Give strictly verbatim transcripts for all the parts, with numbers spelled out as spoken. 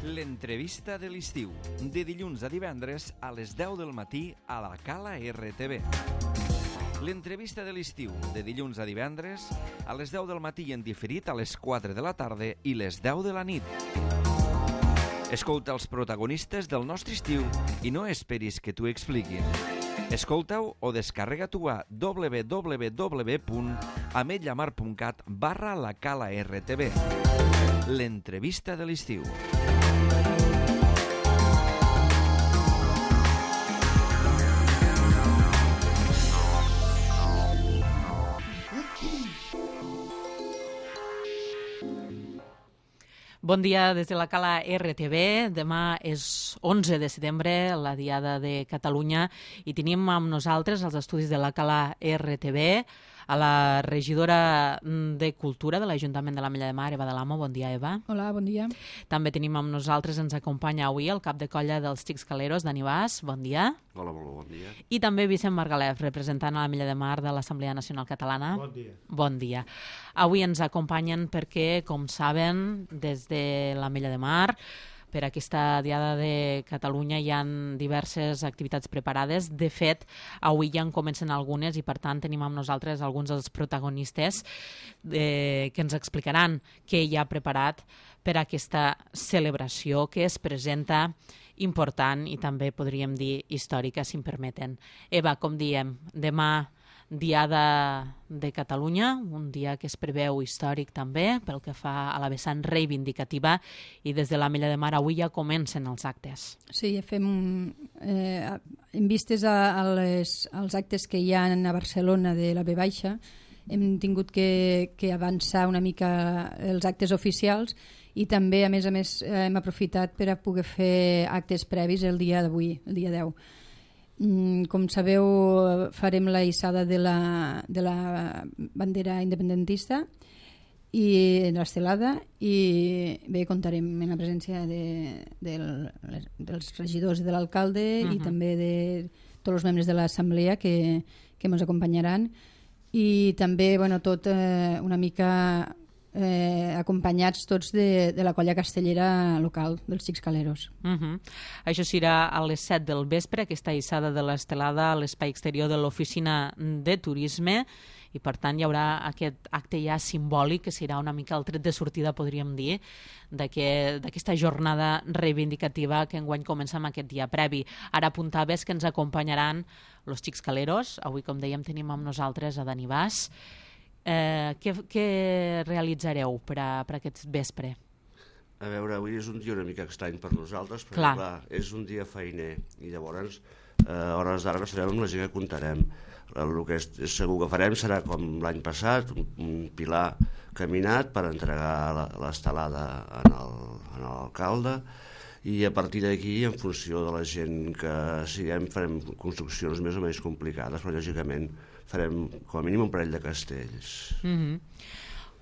L'entrevista de l'estiu, de dilluns a divendres a les deu del matí a la Cala R T V. L'entrevista de l'estiu, de dilluns a divendres a les deu del matí en diferit a les quatre de la tarda i les deu de la nit. Escolta els protagonistes del nostre estiu i no esperis que t'ho expliquin. Escolta-ho o descarrega-t'ho a w w w punt ametlla mar punt cat barra la Cala R T V. L'entrevista de l'estiu. Bon dia des de la Cala R T V. Demà és onze de setembre, la Diada de Catalunya, i tenim amb nosaltres als estudis de la Cala R T V a la regidora de Cultura de l'Ajuntament de l'Ametlla de Mar, Eva de l'Amo. Bon dia, Eva. Hola, bon dia. També tenim amb nosaltres, ens acompanya avui el cap de colla dels Xics Caleros, Dani Bas. Bon dia. Hola, molt bon dia. I també Vicent Margalef, representant a l'Ametlla de Mar de l'Assemblea Nacional Catalana. Bon dia. Bon dia. Avui ens acompanyen perquè, com saben, des de l'Ametlla de Mar, per aquesta Diada de Catalunya hi ha diverses activitats preparades. De fet, avui ja en comencen algunes i, per tant, tenim amb nosaltres alguns dels protagonistes eh, que ens explicaran què hi ha preparat per a aquesta celebració que es presenta important i també, podríem dir, històrica, si em permeten. Eva, com diem, demà Diada de Catalunya, un dia que es preveu històric també pel que fa a la vessant reivindicativa, i des de l'Ametlla de Mar avui ja comencen els actes. Sí, fem eh, en vistes a, a les, als actes que hi ha a Barcelona de la V Baixa, hem tingut que, que avançar una mica els actes oficials i també, a més a més, hem aprofitat per a poder fer actes previs el dia d'avui, el dia deu. Com sabeu, farem la hissada de la, de la bandera independentista i l'estelada, i bé, comptarem amb la presència de, de, dels regidors i de l'alcalde uh-huh. i també de tots els membres de l'assemblea que, que ens acompanyaran, i també, bueno, tot eh, una mica Eh, acompanyats tots de, de la colla castellera local dels Xics Caleros. Uh-huh. Això serà a les set del vespre, aquesta hissada de l'estelada a l'espai exterior de l'oficina de turisme, i per tant hi haurà aquest acte ja simbòlic que serà una mica el tret de sortida, podríem dir, d'aquesta jornada reivindicativa que enguany comença amb aquest dia previ. Ara apuntaves que ens acompanyaran els Xics Caleros. Avui, com dèiem, tenim amb nosaltres a Dani Bas. Eh, què, què realitzareu per, a, per aquest vespre? A veure, avui és un dia una mica estrany per nosaltres, perquè clar. Clar, és un dia feiner, i llavors eh, a hores d'ara no sabem amb la gent que comptarem. El que és, segur que farem serà com l'any passat, un, un pilar caminat per entregar l'estelada en l'alcalde, i a partir d'aquí, en funció de la gent que siguem, farem construccions més o menys complicades, però lògicament farem com a mínim un parell de castells. Mm-hmm.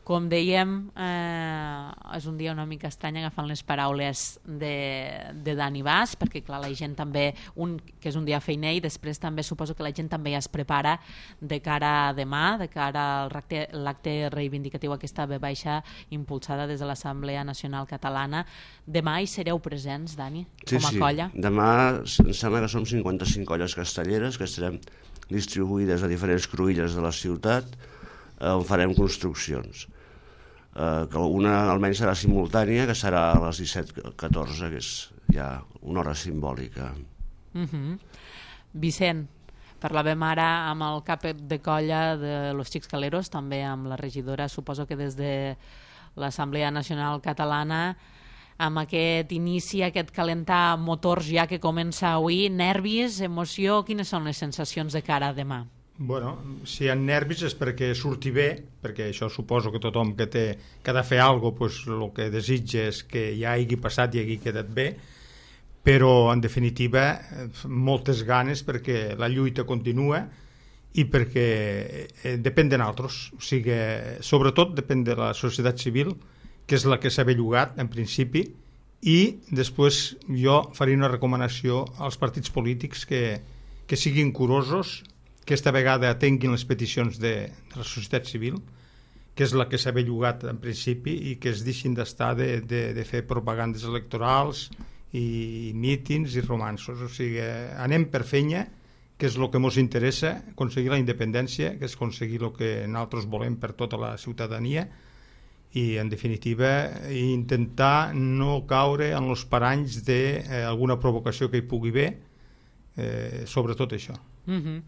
Com dèiem, eh, és un dia una mica estrany, agafant les paraules de, de Dani Bas, perquè clar, la gent també, un, que és un dia feiner, i després també suposo que la gent també ja es prepara de cara a demà, de cara al l'acte reivindicatiu, aquesta V Baixa impulsada des de l'Assemblea Nacional Catalana. Demà hi sereu presents, Dani, sí, com a sí. colla? Demà em sembla que som cinquanta-cinc colles castelleres que estarem distribuïdes a diferents cruïlles de la ciutat, on farem construccions. Uh, que una almenys serà simultània, que serà a les disset catorze, que és ja una hora simbòlica. Uh-huh. Vicent, parlàvem ara amb el cap de colla de los Xics Caleros, també amb la regidora, suposo que des de l'Assemblea Nacional Catalana, amb aquest inici, aquest calentar motors ja que comença avui, nervis, emoció, quines són les sensacions de cara a demà? Bueno, si hi ha nervis és perquè surti bé, perquè això suposo que tothom que té que ha de fer alguna cosa, pues, el que desitja és que ja hagi passat i hagi quedat bé, però en definitiva moltes ganes perquè la lluita continua i perquè eh, depèn de nosaltres, o sigui, sobretot depèn de la societat civil, que és la que s'ha bellugat en principi, i després jo faré una recomanació als partits polítics que, que siguin curosos, que aquesta vegada atenguin les peticions de, de la societat civil, que és la que s'ha bellugat en principi, i que es deixin d'estar de, de, de fer propagandes electorals i mítings i romanços. O sigui, anem per feina, que és el que ens interessa, aconseguir la independència, que és aconseguir el que nosaltres volem per tota la ciutadania, i en definitiva intentar no caure en els paranys d'alguna provocació que hi pugui haver, eh, sobretot això. Mm-hmm.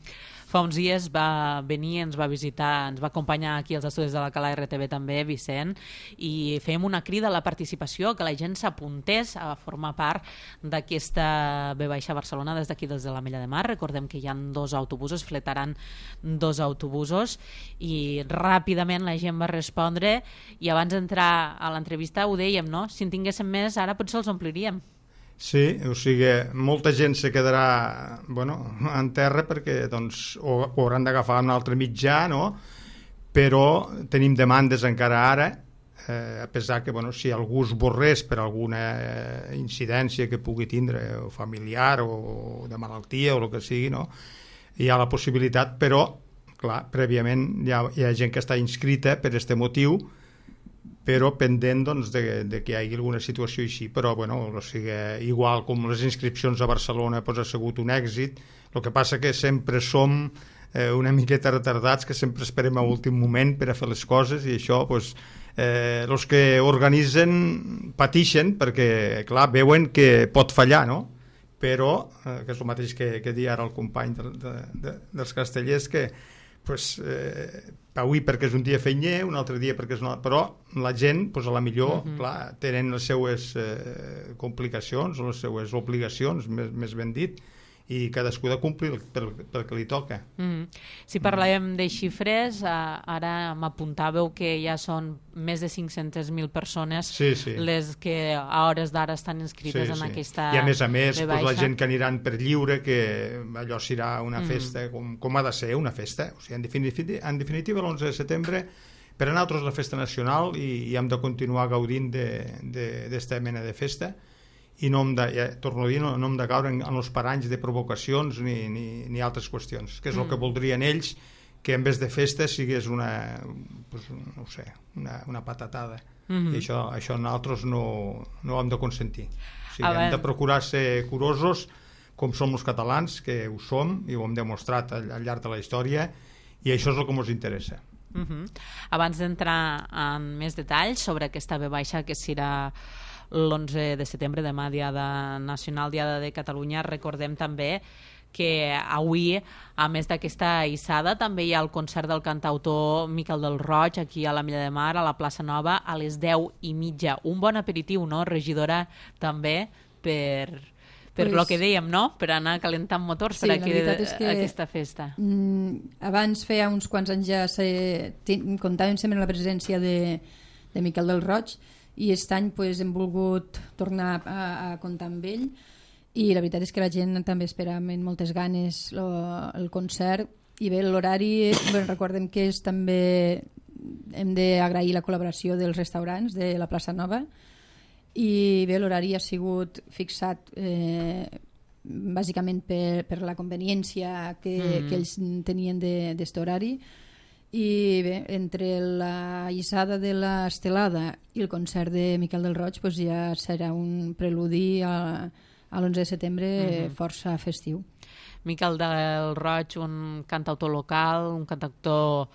Fa uns dies va venir, ens va visitar, ens va acompanyar aquí als estudis de la Cala R T V també, Vicent, i fèiem una crida a la participació, que la gent s'apuntés a formar part d'aquesta V Baixa Barcelona des d'aquí, des de l'Ametlla de Mar. Recordem que hi ha dos autobusos, fletaran dos autobusos, i ràpidament la gent va respondre, i abans d'entrar a l'entrevista ho dèiem, no? Si en tinguéssim més, ara potser els ompliríem. Sí, o sigui, molta gent se quedarà, bueno, en terra perquè doncs, o, o hauran d'agafar un altre mitjà, no? Però tenim demandes encara ara, eh, a pesar que, bueno, si algú es borrés per alguna incidència que pugui tindre, o familiar o de malaltia o el que sigui, no? Hi ha la possibilitat, però, clar, prèviament hi ha, hi ha gent que està inscrita per aquest motiu, però pendent doncs, de, de que hi hagi alguna situació així. Però bueno, o sigui, igual com les inscripcions a Barcelona pues, ha sigut un èxit, el que passa que sempre som eh, una miqueta retardats, que sempre esperem a últim moment per a fer les coses, i això pues, eh, els que organitzen patixen perquè clar, veuen que pot fallar, no? Però, eh, que és el mateix que, que dia ara el company de, de, de, dels castellers, que pues, eh, avui perquè és un dia feiner, un altre dia perquè és una... però la gent, pues, a la millor, uh-huh. clar, tenen les seues eh, complicacions o les seues obligacions, més, més ben dit, i cadascú de complir pel, pel que li toca. Mm. Si parlàvem de xifres, eh, ara m'apuntàveu que ja són més de cinc-centes mil persones sí, sí. les que a hores d'ara estan inscrites sí, en sí. aquesta I a més a més, pues, la gent que aniran per lliure, que allò serà una mm. festa com, com ha de ser una festa. O sigui, en definitiva, en definitiva l'onze de setembre per a nosaltres és la festa nacional, i, i hem de continuar gaudint d'esta mena de festa, i no hem de, ja, torno a dir, no, no hem de caure en, en els paranys de provocacions ni, ni, ni altres qüestions, que és el mm. que voldrien ells, que en vez de festa sigués una, pues, no ho sé, una, una patatada. Mm-hmm. I això, això nosaltres no, no ho hem de consentir. O sigui, hem de procurar ser curosos com som els catalans, que ho som i ho hem demostrat al, al llarg de la història, i això és el que ens interessa. Mm-hmm. Abans d'entrar en més detalls sobre aquesta V baixa que serà l'onze de setembre, demà, Diada Nacional, Diada de Catalunya, recordem també que avui, a més d'aquesta hissada, també hi ha el concert del cantautor Miquel del Roig aquí a l'Ametlla de Mar, a la plaça Nova, a les deu i mitja. Un bon aperitiu, no, regidora, també per... per pues, lo que dèiem, no? Per anar calentant motors sí, per aquí, és que, aquesta festa. Mm, abans, feia uns quants anys ja se, comptàvem sempre la presència de, de Miquel del Roig, i aquest any pues, hem volgut tornar a, a comptar amb ell, i la veritat és que la gent també espera amb moltes ganes lo, el concert, i bé, l'horari, bueno, recordem que és també hem d'agrair la col·laboració dels restaurants de la plaça Nova, i bé, l'horari ha sigut fixat eh, bàsicament per, per la conveniència que, mm. que ells tenien d'aquest horari, i bé, entre la hissada de l'estelada i el concert de Miquel del Roig pues ja serà un preludi a, a l'onze de setembre mm-hmm. força festiu. Miquel del Roig, un cantautor local, un cantautor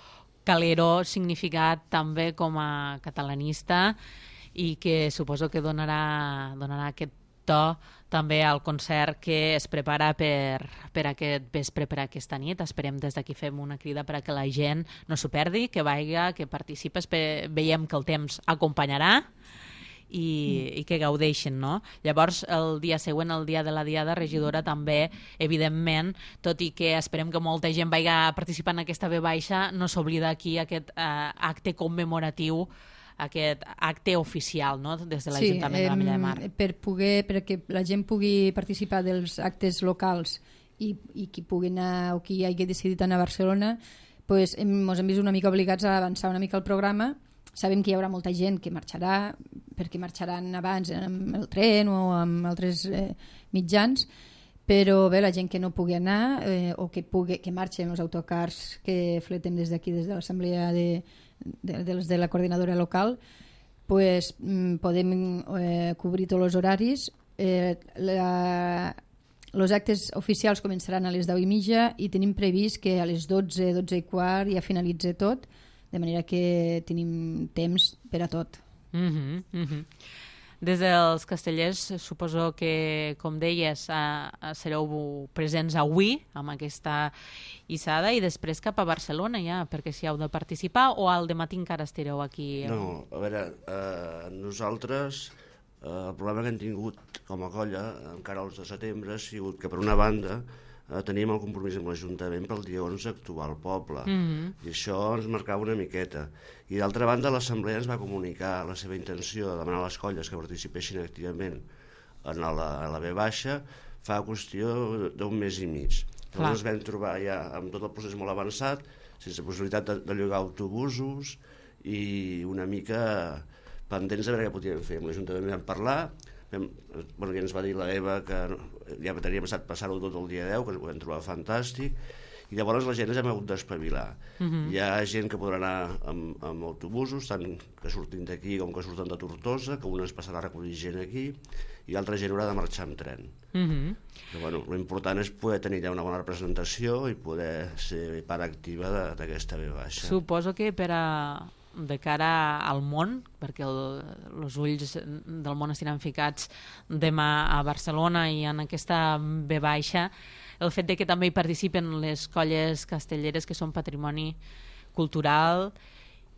calero, significat també com a catalanista, i que suposo que donarà, donarà aquest to també al concert que es prepara per, per aquest vespre, per aquesta nit. Esperem des d'aquí fem una crida per a que la gent no s'ho perdi, que vaiga, que participes, veiem que el temps acompanyarà i, mm. i que gaudeixin, no? Llavors, el dia següent, el dia de la Diada, regidora, també, evidentment, tot i que esperem que molta gent vagi a participar en aquesta V baixa, no s'oblida aquí aquest eh, acte commemoratiu, aquest acte oficial, no? Des de l'Ajuntament sí, de l'Ametlla de Mar. Per poder, perquè la gent pugui participar dels actes locals i, i qui pugui anar o qui hagi decidit anar a Barcelona, pues, hem, ens hem vist una mica obligats a avançar una mica el programa. Sabem que hi haurà molta gent que marxarà, perquè marxaran abans amb el tren o amb altres eh, mitjans, però bé, la gent que no pugui anar eh, o que, pugui, que marxen els autocars que fletem des d'aquí, des de l'Assemblea de de, dels de la coordinadora local, pues, podem eh, cobrir tots els horaris. Eh, la, els actes oficials començaran a les deu i mitja i tenim previst que a les dotze, dotze i quart ja finalitza tot, de manera que tenim temps per a tot. Mm-hmm, mm-hmm. Des dels castellers, suposo que, com deies, a, a sereu presents avui amb aquesta hissada i després cap a Barcelona ja, perquè si heu de participar, o al dematí encara estareu aquí? No, a veure, eh, nosaltres eh, el problema que hem tingut com a colla encara el de setembre ha sigut que, per una banda, eh, teníem el compromís amb l'Ajuntament pel dia onze actuar al poble, mm-hmm. i això ens marcava una miqueta. I d'altra banda, l'Assemblea ens va comunicar la seva intenció de demanar a les colles que participessin activament en la, a la B baixa fa qüestió d'un mes i mig. Llavors ens vam trobar ja amb tot el procés molt avançat, sense possibilitat de, de llogar autobusos i una mica pendents de veure què podíem fer. Amb l'Ajuntament vam parlar, vam, bueno, ja ens va dir la Eva que ja teníem estat passar-ho tot el dia deu, que ens ho vam trobar fantàstic, i llavors la gent ens hem hagut d'espavilar. Uh-huh. Hi ha gent que podrà anar amb, amb autobusos, tant que surtin d'aquí com que surten de Tortosa, que un es passarà a recollir gent aquí, i altra gent haurà de marxar amb tren. Uh-huh. Però, bueno, l'important és poder tenir ja una bona representació i poder ser part activa d'aquesta B baixa. Suposo que per a de cara al món, perquè els ulls del món estiran ficats demà a Barcelona i en aquesta B baixa, el fet de que també hi participen les colles castelleres que són patrimoni cultural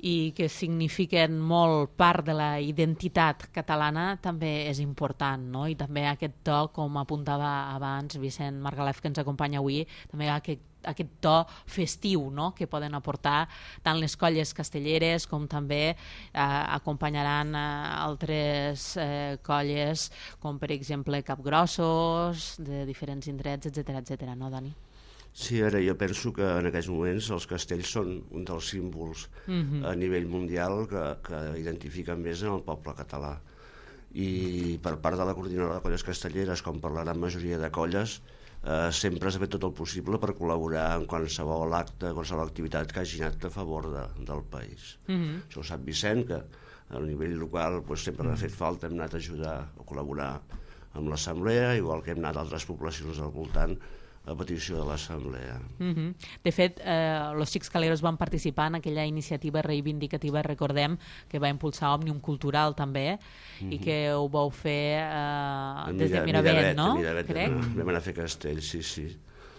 i que signifiquen molt part de la identitat catalana també és important, no? I també aquest to, com apuntava abans Vicent Margalef, que ens acompanya avui, també aquest, aquest to festiu, no? Que poden aportar tant les colles castelleres com també eh, acompanyaran eh, altres eh, colles com per exemple Capgrossos de diferents indrets, etcètera, etcètera, no, Dani? Sí, ara jo penso que en aquests moments els castells són un dels símbols mm-hmm. a nivell mundial que, que identifiquen més en el poble català. I per part de la coordinadora de colles castelleres, com per la gran majoria de colles, eh, sempre s'ha fet tot el possible per col·laborar en qualsevol acte, qualsevol activitat que hagi anat a favor de, del país. Mm-hmm. Això ho sap Vicent, que a nivell local pues, sempre mm-hmm. ha fet falta, hem anat a ajudar a col·laborar amb l'Assemblea, igual que hem anat a altres poblacions del voltant, a petició de l'Assemblea. Mm-hmm. De fet, eh, los Xics Caleros van participar en aquella iniciativa reivindicativa, recordem, que va impulsar Òmnium Cultural també, mm-hmm. i que ho vau fer eh, des de Miravet, no? Miravet, crec? Vam anar a fer castells, sí, sí.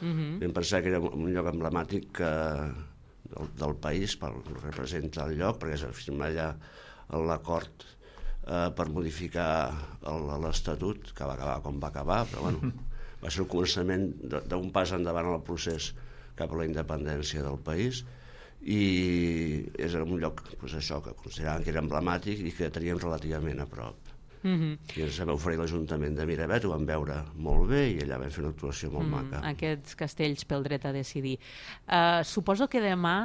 Mm-hmm. Vam pensar que era un lloc emblemàtic que, del, del país, pel que representa el lloc, perquè es va firmar allà l'acord eh, per modificar l'Estatut, que va acabar com va acabar, però bueno... va ser el començament d'un pas endavant en el procés cap a la independència del país i és un lloc pues, això que consideràvem que era emblemàtic i que teníem relativament a prop. Mm-hmm. I ens vam oferir l'Ajuntament de Miravet, ho vam veure molt bé i allà vam fer una actuació molt mm, maca. Aquests castells pel dret a decidir. Uh, suposo que demà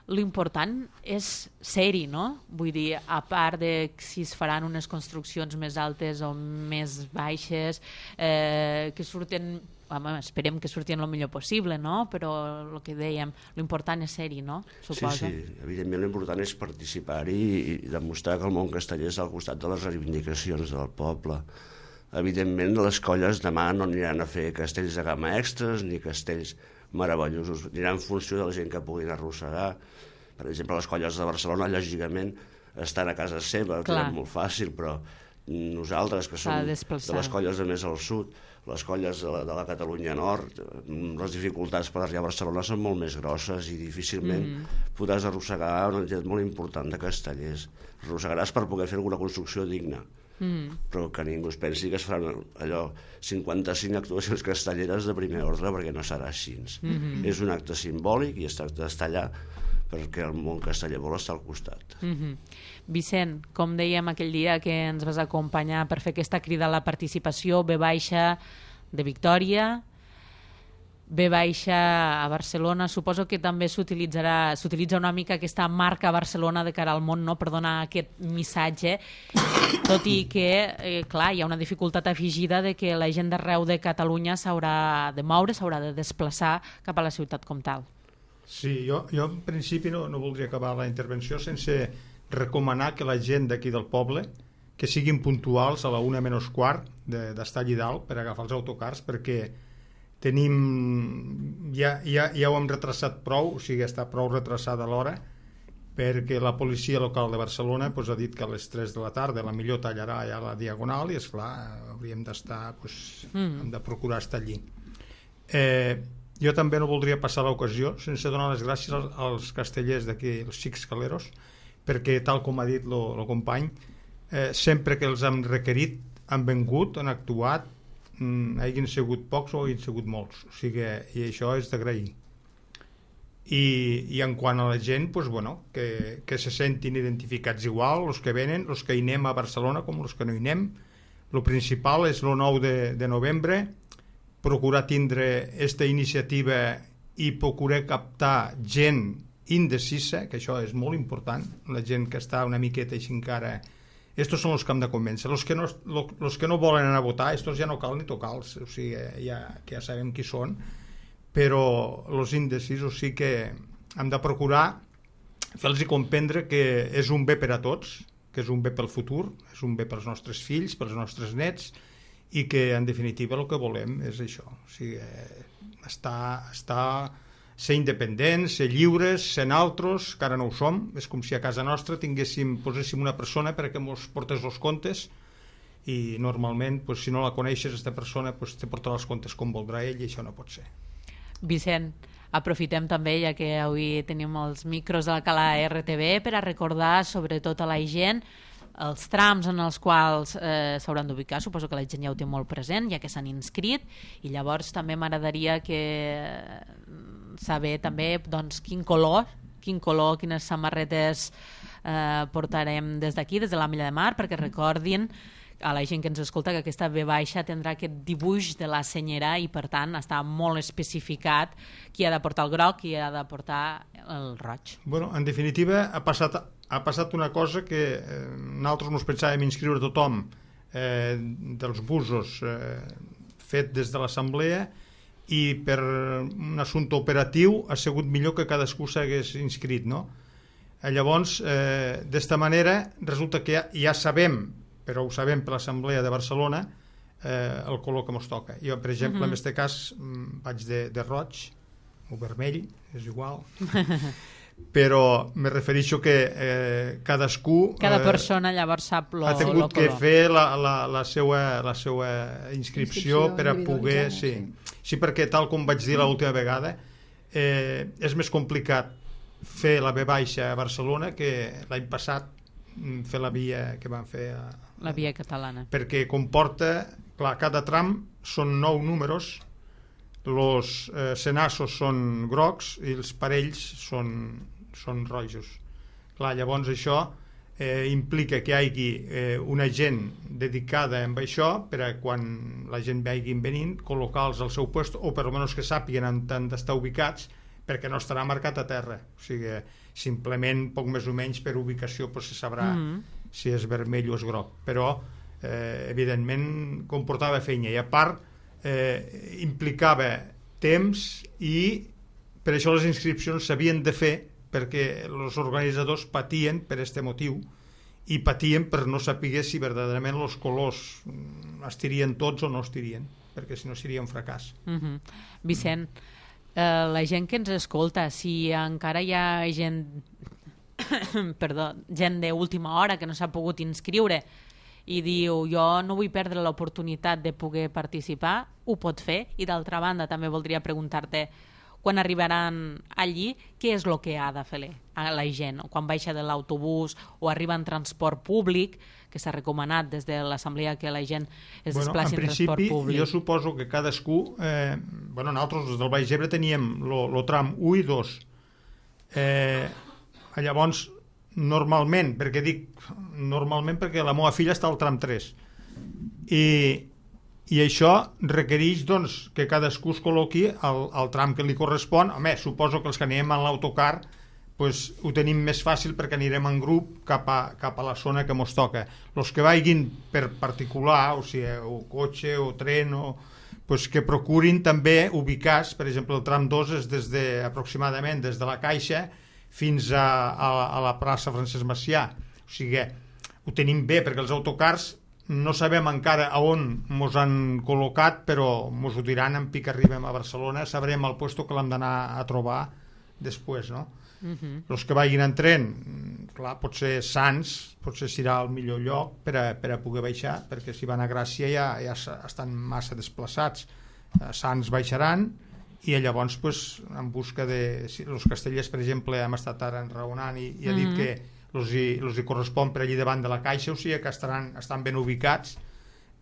l'important és ser-hi, no? Vull dir, a part de si es faran unes construccions més altes o més baixes, eh, que surten, home, esperem que surtin el millor possible, no? Però el que dèiem, l'important és ser-hi, no? Suposo. Sí, sí, evidentment l'important és participar-hi i demostrar que el món casteller és al costat de les reivindicacions del poble. Evidentment, les colles demà no aniran a fer castells de gamma extras ni castells meravellosos, aniran en funció de la gent que puguin arrossegar. Per exemple, les colles de Barcelona, lògicament, estan a casa seva, que és molt fàcil, però nosaltres, que som de les colles de més al sud, les colles de la, de la Catalunya Nord, les dificultats per arribar a Barcelona són molt més grosses i difícilment mm. podràs arrossegar una entitat molt important de castellers. Arrossegaràs per poder fer alguna construcció digna. Mm. Però que ningú es pensi que es faran allò cinquanta-cinc actuacions castelleres de primer ordre, perquè no serà així. Mm-hmm. És un acte simbòlic i es tracta d'estar allà perquè el món casteller vol estar al costat. Mm-hmm. Vicent, com dèiem aquell dia que ens vas acompanyar per fer aquesta crida a la participació, B baixa de Victòria, B baixa a Barcelona, suposo que també s'utilitzarà s'utilitza una mica aquesta marca Barcelona de cara al món, no? Per donar aquest missatge, tot i que, eh, clar, hi ha una dificultat afegida de que la gent d'arreu de Catalunya s'haurà de moure, s'haurà de desplaçar cap a la ciutat com tal. Sí, jo, jo en principi no, no voldria acabar la intervenció sense recomanar que la gent d'aquí del poble que siguin puntuals a la una menys quart d'estar allí dalt per agafar els autocars, perquè tenim ja, ja, ja ho hem retrasat prou, o sigui, està prou retrasada l'hora, perquè la policia local de Barcelona pues, ha dit que a les tres de la tarda la millor tallarà ja la diagonal i, esclar, hauríem d'estar pues, mm. hem de procurar estar allí. Eh, jo també no voldria passar l'ocasió sense donar les gràcies als, als castellers d'aquí, els xics caleros, perquè tal com ha dit el company, eh, sempre que els hem requerit han vengut, han actuat, mm, hagin sigut pocs o hagin sigut molts, o sigui, i això és d'agrair. I, i en quant a la gent, pues, bueno, que, que se sentin identificats igual, els que venen, els que hi anem a Barcelona com els que no hi anem. El principal és el nou de, de novembre, procurar tindre aquesta iniciativa i procurar captar gent indecisa, que això és molt important, la gent que està una miqueta així encara. Estos són els que hem de convèncer. Els que no, los que no volen anar a votar, estos ja no cal ni tocar-los, o sigui, ja, que ja sabem qui són, però els indecisos sí que hem de procurar fer-los comprendre que és un bé per a tots, que és un bé pel futur, és un bé pels nostres fills, pels nostres nets, i que en definitiva el que volem és això, o sigui, estar, estar, ser independents, ser lliures, ser naltros, que ara no ho som. És com si a casa nostra tinguéssim, poséssim una persona perquè ens portés els comptes, i normalment, pues, si no la coneixes, aquesta persona pues, te portarà els comptes com voldrà ell, i això no pot ser. Vicent, aprofitem també, ja que avui tenim els micros de la Cala R T V, per a recordar sobretot a la gent els trams en els quals eh, s'hauran d'ubicar. Suposo que la gent ja ho té molt present, ja que s'han inscrit, i llavors també m'agradaria que saber també doncs, quin color, quin color, quines samarretes eh, portarem des d'aquí, des de la Mella de Mar, perquè recordin a la gent que ens escolta que aquesta V baixa tindrà aquest dibuix de la senyera i per tant està molt especificat qui ha de portar el groc, qui ha de portar el roig. Bueno, en definitiva ha passat, ha passat una cosa que eh, nosaltres ens pensàvem inscriure tothom eh, dels busos eh, fet des de l'assemblea, i per un assumpte operatiu ha sigut millor que cadascú s'hagués inscrit, no? Llavors, eh, d'esta manera resulta que ja, ja sabem, però ho sabem per l'Assemblea de Barcelona, eh, el color que ens toca. Jo, per exemple, uh-huh. en aquest cas vaig de, de roig o vermell, és igual, però me refereixo que eh, cadascú cada persona llavors sap lo, ha tingut lo que color. fer la, la, la, seva, la seva inscripció, inscripció per a poder... Sí. sí, perquè tal com vaig dir l'última vegada, eh, és més complicat fer la V baixa a Barcelona que l'any passat fer la via que van fer a, la via catalana, perquè comporta, clar, cada tram són nou números, els eh, senassos són grocs i els parells són, són rojos. Clar, llavors això eh, implica que hi hagi eh, una gent dedicada amb això per a quan la gent vagin venint col·locar-los al seu lloc, o per almenys que sàpiguen on han d'estar ubicats, perquè no estarà marcat a terra, o sigui, simplement poc més o menys per ubicació pues, se sabrà mm. si és vermell o és groc, però eh, evidentment comportava feina, i a part eh, implicava temps, i per això les inscripcions s'havien de fer, perquè els organitzadors patien per aquest motiu, i patien per no saber si verdaderament els colors es tirien tots o no es tirien, perquè si no seria un fracàs. Mm-hmm. Vicent, Uh, la gent que ens escolta, si encara hi ha gent perdó, gent d'última hora que no s'ha pogut inscriure i diu jo no vull perdre l'oportunitat de poder participar, ho pot fer. I d'altra banda també voldria preguntar-te, quan arribaran allí, què és el que ha de fer a la gent? Quan baixa de l'autobús o arriba en transport públic, que s'ha recomanat des de l'assemblea que la gent es bueno, desplaci en, en transport públic. En principi, jo suposo que cadascú... Eh, bueno, nosaltres, des del Baix Ebre, teníem el tram u i dos. Eh, llavors, normalment, perquè dic normalment perquè la meva filla està al tram tres. I, i això requereix doncs, que cadascú es col·loqui al, al tram que li correspon. Home, suposo que els que anem en l'autocar pues, ho tenim més fàcil perquè anirem en grup cap a, cap a la zona que ens toca. Els que vagin per particular, o sigui, o cotxe o tren, o, pues que procurin també ubicar-se, per exemple, el tram dos és des de, aproximadament des de la Caixa fins a, a, a la plaça Francesc Macià. O sigui, ho tenim bé, perquè els autocars no sabem encara a on mos han col·locat, però mos ho diran en pic arribem a Barcelona, sabrem el puesto que l'hem d'anar a trobar després, no? Uh-huh. Els que vagin en tren, clar, potser Sants potser serà el millor lloc per a, per a poder baixar, perquè si van a Gràcia ja, ja estan massa desplaçats. Sants baixaran i llavors pues, en busca de si, els castellers, per exemple, hem estat ara enraonant i, i ha dit uh-huh. que els hi, els hi correspon per allí davant de la Caixa, o sigui que estaran, estan ben ubicats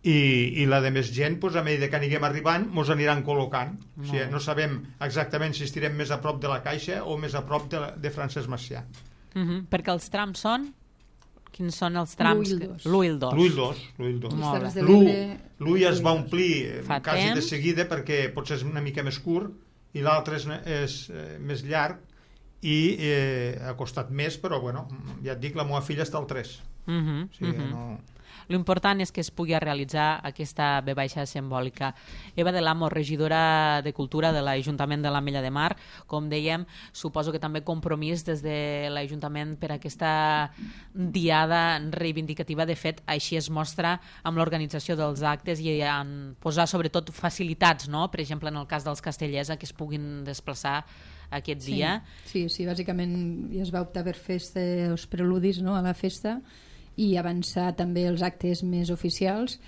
i, i la de més gent, pues, a mesura que anirem arribant mos aniran col·locant. O sigui, no sabem exactament si estirem més a prop de la Caixa o més a prop de, de Francesc Macià. Uh-huh. Perquè els trams són? Quins són els trams? l'u i el dos. l'u i el dos. l'u i el dos. L'u ja es va omplir Fa quasi temps. de seguida perquè potser és una mica més curt i l'altre és, és eh, més llarg i eh, ha costat més, però bueno, ja et dic, la meva filla està al tres. Uh-huh. O sigui, uh-huh. no... L'important és que es pugui realitzar aquesta ve baixa simbòlica. Eva de l'Amo, regidora de Cultura de l'Ajuntament de l'Ametlla de Mar, com dèiem, suposo que també compromís des de l'Ajuntament per aquesta diada reivindicativa. De fet, així es mostra amb l'organització dels actes i en posar sobretot facilitats, no? Per exemple, en el cas dels castellers, a que es puguin desplaçar aquest sí, dia. Sí, sí, bàsicament ja es va optar per fer els preludis, no?, a la festa, i avançar també els actes més oficials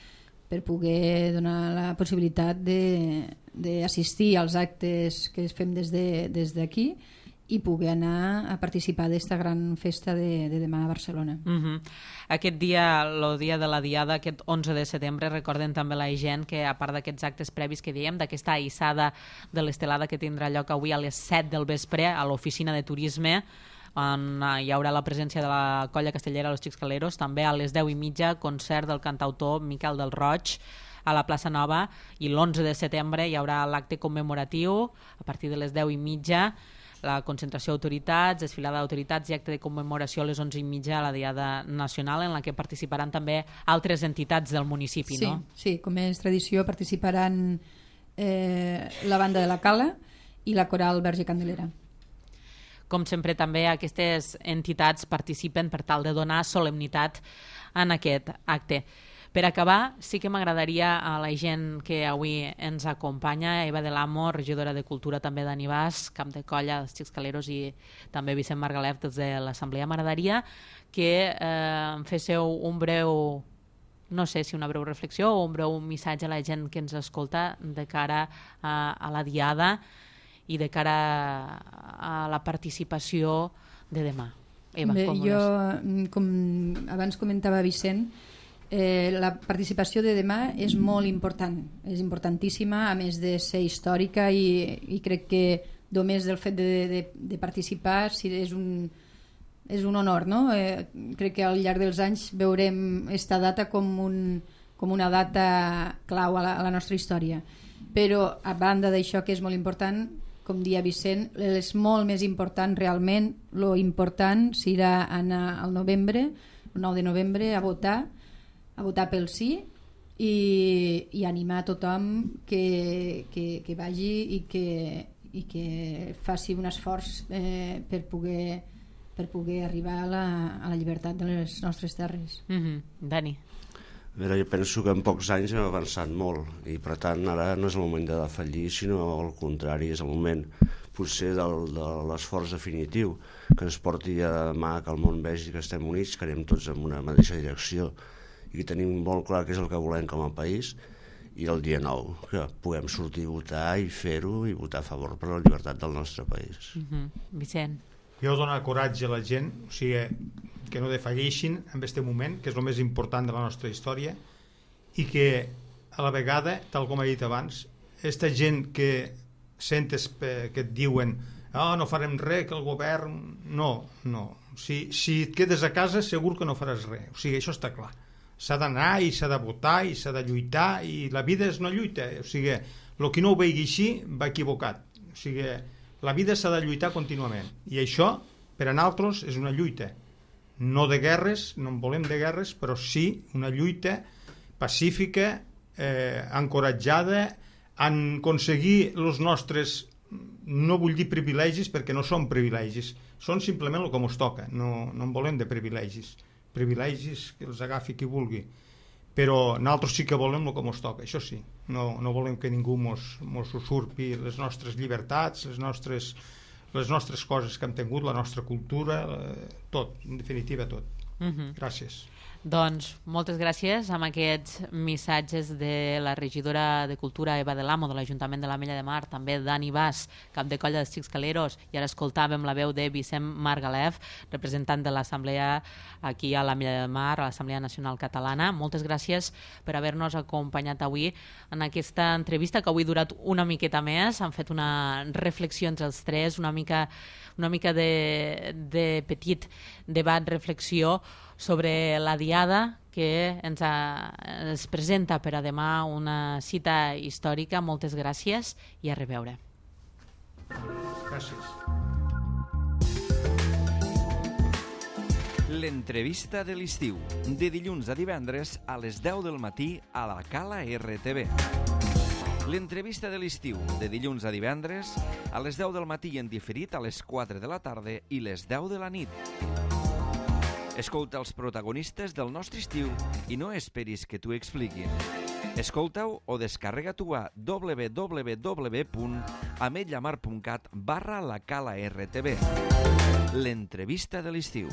per poder donar la possibilitat d'assistir als actes que fem des d'aquí de, i poder anar a participar d'esta gran festa de, de demà a Barcelona. Uh-huh. Aquest dia, el dia de la Diada, aquest onze de setembre, recorden també la gent que, a part d'aquests actes previs que dèiem, d'aquesta aïssada de l'estelada que tindrà lloc avui a les set del vespre a l'oficina de turisme, on hi haurà la presència de la colla castellera Los Xixcaleros, també a les deu i mitja concert del cantautor Miquel del Roig a la plaça Nova, i l'onze de setembre hi haurà l'acte commemoratiu a partir de les deu i mitja, la concentració d'autoritats, desfilada d'autoritats i acte de commemoració a les onze i mitja a la Diada Nacional, en la que participaran també altres entitats del municipi, sí, no? Sí, com és tradició, participaran eh, la banda de la Cala i la coral Verge Candelera. Com sempre, també aquestes entitats participen per tal de donar solemnitat en aquest acte. Per acabar, sí que m'agradaria a la gent que avui ens acompanya, Eva de l'Amo, regidora de Cultura, també Dani Bas, cap de colla, els Xixcaleros, i també Vicent Margalef des de l'Assemblea. M'agradaria que eh, em féssiu un breu, no sé si una breu reflexió o un breu missatge a la gent que ens escolta de cara a, a la Diada i de cara a la participació de demà. Eva, Bé, com jo, veus? com abans comentava Vicent, eh, la participació de demà és molt important, és importantíssima, a més de ser històrica, i, i crec que només del fet de, de, de participar sí, és, un, és un honor, no? Eh, crec que al llarg dels anys veurem esta data com, un, com una data clau a la, a la nostra història. Però, a banda d'això, que és molt important, com dia Vicent, és molt més important realment, lo important serà anar al novembre, el nou de novembre, a votar, a votar pel sí, i, i animar a tothom que, que, que vagi i que, i que faci un esforç eh, per, poder, per poder arribar a la, a la llibertat de les nostres terres. Mm-hmm. Dani. A veure, jo penso que en pocs anys hem avançat molt i per tant ara no és el moment de defallir, sinó al contrari, és el moment potser del, de l'esforç definitiu que ens porti a demà que el món vegi que estem units, que anem tots en una mateixa direcció i que tenim molt clar què és el que volem com a país, i el dia nou que puguem sortir a votar i fer-ho i votar a favor per la llibertat del nostre país. Mm-hmm. Vicent. Jo dono coratge a la gent, o sigui, que no defalleixin en aquest moment, que és el més important de la nostra història, i que a la vegada, tal com he dit abans, aquesta gent que sentes que et diuen oh, no farem res, que el govern... No, no. Si, si et quedes a casa segur que no faràs res. O sigui, això està clar. S'ha d'anar i s'ha de votar i s'ha de lluitar, i la vida és una lluita. O sigui, el que no ho vegi així va equivocat. O sigui, la vida s'ha de lluitar contínuament. I això, per a nosaltres, és una lluita. No de guerres, no en volem de guerres, però sí una lluita pacífica, eh, encoratjada en aconseguir els nostres, no vull dir privilegis perquè no són privilegis, són simplement el que ens toca, no, no en volem de privilegis, privilegis que els agafi qui vulgui, però nosaltres sí que volem el que ens toca, això sí, no, no volem que ningú ens usurpi les nostres llibertats, les nostres, les nostres coses que hem tingut, la nostra cultura, tot, en definitiva tot. Uh-huh. Gràcies. Doncs moltes gràcies amb aquests missatges de la regidora de Cultura Eva de l'Amo de l'Ajuntament de l'Ametlla de Mar, també Dani Bas, cap de colla dels Xics Caleros, i ara escoltàvem la veu de Vicent Margalef, representant de l'Assemblea aquí a l'Ametlla de Mar, a l'Assemblea Nacional Catalana. Moltes gràcies per haver-nos acompanyat avui en aquesta entrevista que avui ha durat una miqueta més. Han fet una reflexió entre els tres, una mica, una mica de, de petit debat, reflexió sobre la diada que ens, ha, ens presenta per a demà una cita històrica. Moltes gràcies i a reveure. Gràcies. L'entrevista de l'estiu, de dilluns a divendres a les deu del matí a la Cala R T V. L'entrevista de l'estiu, de dilluns a divendres a les deu del matí i en diferit a les quatre de la tarda i les deu de la nit. Escolta els protagonistes del nostre estiu i no esperis que t'ho expliquin. Escolta-ho o descarrega-t'ho a w w w punt ametlamar punt cat barra la Cala R T V. L'entrevista de l'estiu.